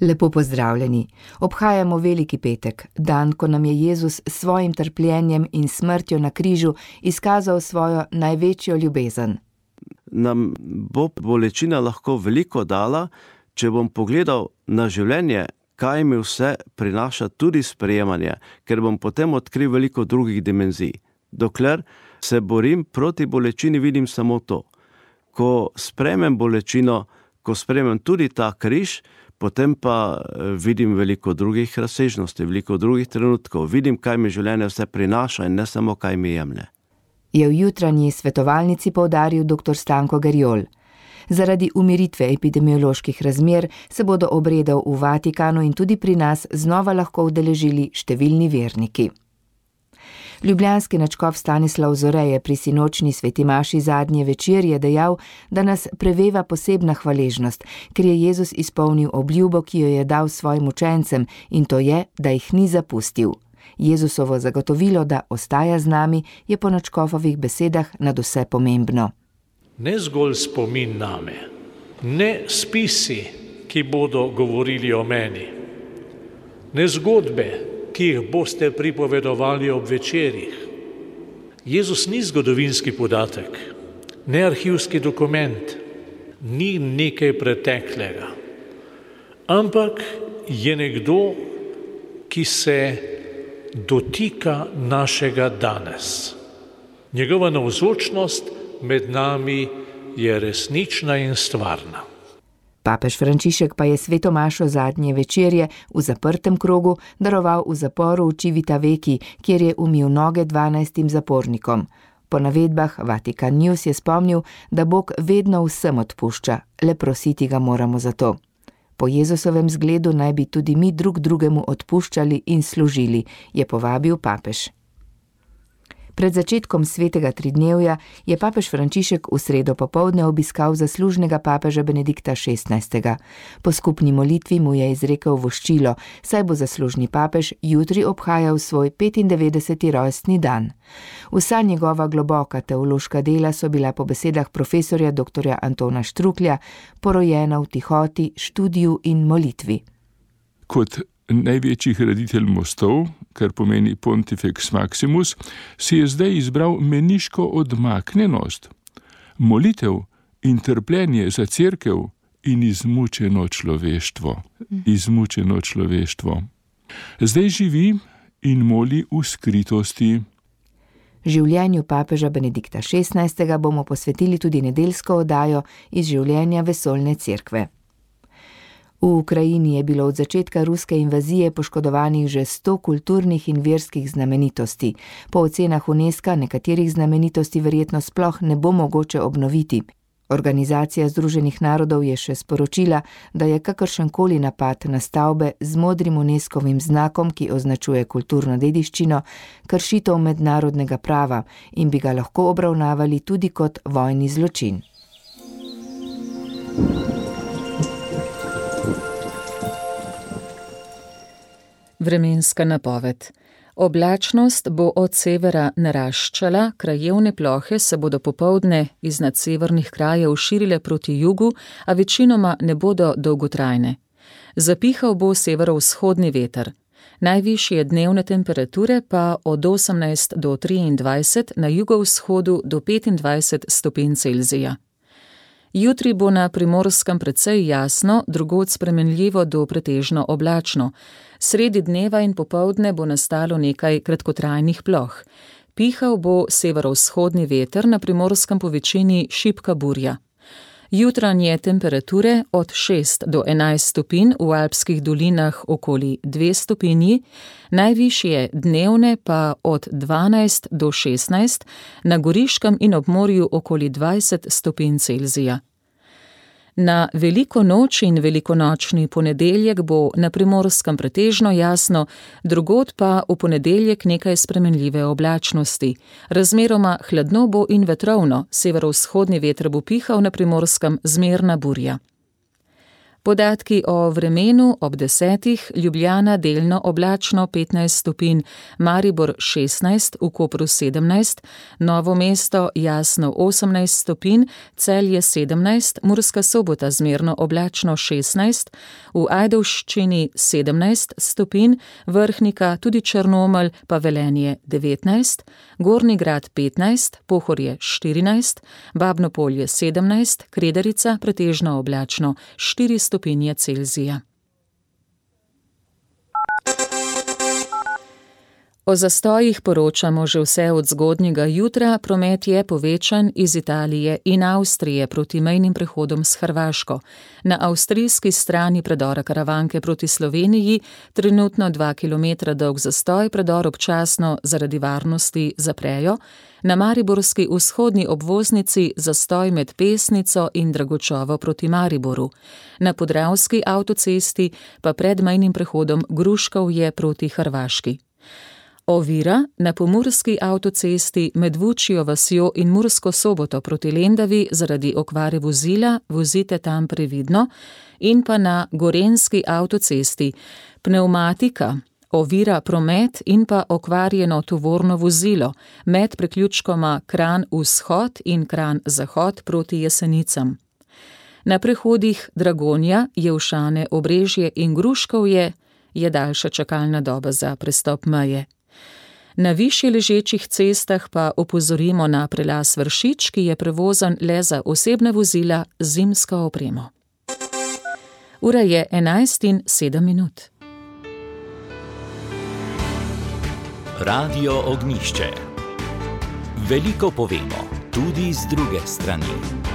Lepo pozdravljeni. Obhajamo Veliki petek, dan, ko nam je Jezus s svojim trpljenjem in smrtjo na križu izkazal svojo največjo ljubezen. Nam bo bolečina lahko veliko dala, če bom pogledal na življenje, kaj mi vse prinaša tudi sprejemanje, ker bom potem odkril veliko drugih dimenzij. Dokler se borim proti bolečini, vidim samo to. Ko sprejmem bolečino, ko sprejmem tudi ta križ, potem pa vidim veliko drugih razsežnosti, veliko drugih trenutkov. Vidim, kaj mi življenje vse prinaša in ne samo, kaj mi jemlje. Je v jutranji svetovalnici poudaril dr. Stanko Gerjol. Zaradi umiritve epidemioloških razmer se bodo obredov v Vatikanu in tudi pri nas znova lahko udeležili številni verniki. Ljubljanski nadškof Stanislav Zore je pri sinočni sveti maši zadnje večer je dejal, da nas preveva posebna hvaležnost, ker je Jezus izpolnil obljubo, ki jo je dal svojim učencem, in to je, da jih ni zapustil. Jezusovo zagotovilo, da ostaja z nami, je po nadškofovih besedah nadvse pomembno. Ne zgolj spomin name, ne spisi, ki bodo govorili o meni, ne zgodbe, ki jih boste pripovedovali ob večerih. Jezus ni zgodovinski podatek, ne arhivski dokument, ni nekaj preteklega, ampak je nekdo, ki se dotika našega danes. Njegova navzočnost med nami je resnična in stvarna. Papež Frančišek pa je sveto mašo zadnje večerje v zaprtem krogu daroval v zaporu v Civitavecchi, kjer je umil noge 12 zapornikom. Po navedbah Vatikan News je spomnil, da Bog vedno vsem odpušča, le prositi ga moramo za to. Po Jezusovem zgledu naj bi tudi mi drug drugemu odpuščali in služili, je povabil papež. Pred začetkom svetega tridnevja je papež Frančišek v sredo popoldne obiskal zaslužnega papeža Benedikta XVI. Po skupni molitvi mu je izrekel voščilo, saj bo zaslužni papež jutri obhajal svoj 95. rojstni dan. Vsa njegova globoka teološka dela so bila po besedah profesorja dr. Antona Štruklja porojena v tihoti, študiju in molitvi. Kot največji graditelj mostov, kar pomeni Pontifex Maximus, si je zdaj izbral meniško odmaknjenost, molitev in trpljenje za cerkev in izmučeno človeštvo. Izmučeno človeštvo. Zdaj živi in moli v skritosti. Življenju papeža Benedikta XVI. Bomo posvetili tudi nedeljsko oddajo iz življenja vesoljne cerkve. V Ukrajini je bilo od začetka ruske invazije poškodovanih že 100 kulturnih in verskih znamenitosti. Po ocenah UNESCO nekaterih znamenitosti verjetno sploh ne bo mogoče obnoviti. Organizacija Združenih narodov je še sporočila, da je kakršenkoli napad na stavbe z modrim UNESCO-vim znakom, ki označuje kulturno dediščino, kršitev mednarodnega prava in bi ga lahko obravnavali tudi kot vojni zločin. Vremenska napoved. Oblačnost bo od severa naraščala, krajevne plohe se bodo popoldne iznad severnih krajev širile proti jugu, a večinoma ne bodo dolgotrajne. Zapihal bo severovzhodni veter. Najvišje dnevne temperature pa od 18 do 23, na jugovzhodu do 25 stopinj Celzija. Jutri bo na Primorskem precej jasno, drugod spremenljivo do pretežno oblačno. Sredi dneva in popoldne bo nastalo nekaj kratkotrajnih ploh. Pihal bo severovzhodni veter, na Primorskem po večini šibka burja. Jutranje temperature od 6 do 11 stopinj, v alpskih dolinah okoli 2 stopinji, najvišje dnevne pa od 12 do 16, na Goriškem in ob morju okoli 20 stopinj Celzija. Na veliko noč in velikonočni ponedeljek bo na Primorskem pretežno jasno, drugod pa v ponedeljek nekaj spremenljive oblačnosti. Razmeroma hladno bo in vetrovno, severovzhodni veter bo pihal, na Primorskem zmerna burja. Podatki o vremenu ob 10. Ljubljana delno oblačno 15 stopinj, Maribor 16, v Kopru 17, Novo mesto jasno 18 stopinj, Celje 17, Murska Sobota zmerno oblačno 16, v Ajdovščini 17 stopinj, Vrhnika, tudi Črnomelj pa Velenje 19, Gornji Grad 15, Pohorje 14, Babno Polje 17, Kredarica pretežno oblačno 4 stopinje Celzija. O zastojih poročamo že vse od zgodnjega jutra, promet je povečan iz Italije in Avstrije proti mejnim prehodom s Hrvaško. Na avstrijski strani predora Karavanke proti Sloveniji trenutno 2 km dolg zastoj, predor občasno zaradi varnosti zaprejo. Na mariborski vzhodni obvoznici zastoj med Pesnico in Dragočovo proti Mariboru. Na podravski avtocesti pa pred mejnim prehodom Gruškovje proti Hrvaški. Ovira na pomurski avtocesti med Vučjo vasjo in Mursko Soboto proti Lendavi zaradi okvare vozila, vozite tam previdno, in pa na gorenjski avtocesti pnevmatika, ovira promet in pa okvarjeno tovorno vozilo med priključkoma Kranj vzhod in Kranj zahod proti Jesenicam. Na prehodih Dragonja, Jelšane, Obrežje in Gruškovje je daljša čakalna doba za prestop meje. Na višje ležečih cestah pa opozorimo na prelaz Vršič, ki je prevozan le za osebna vozila z zimsko opremo. Ura je 11:07. Radio Ognjišče. Veliko povemo, tudi z druge strani.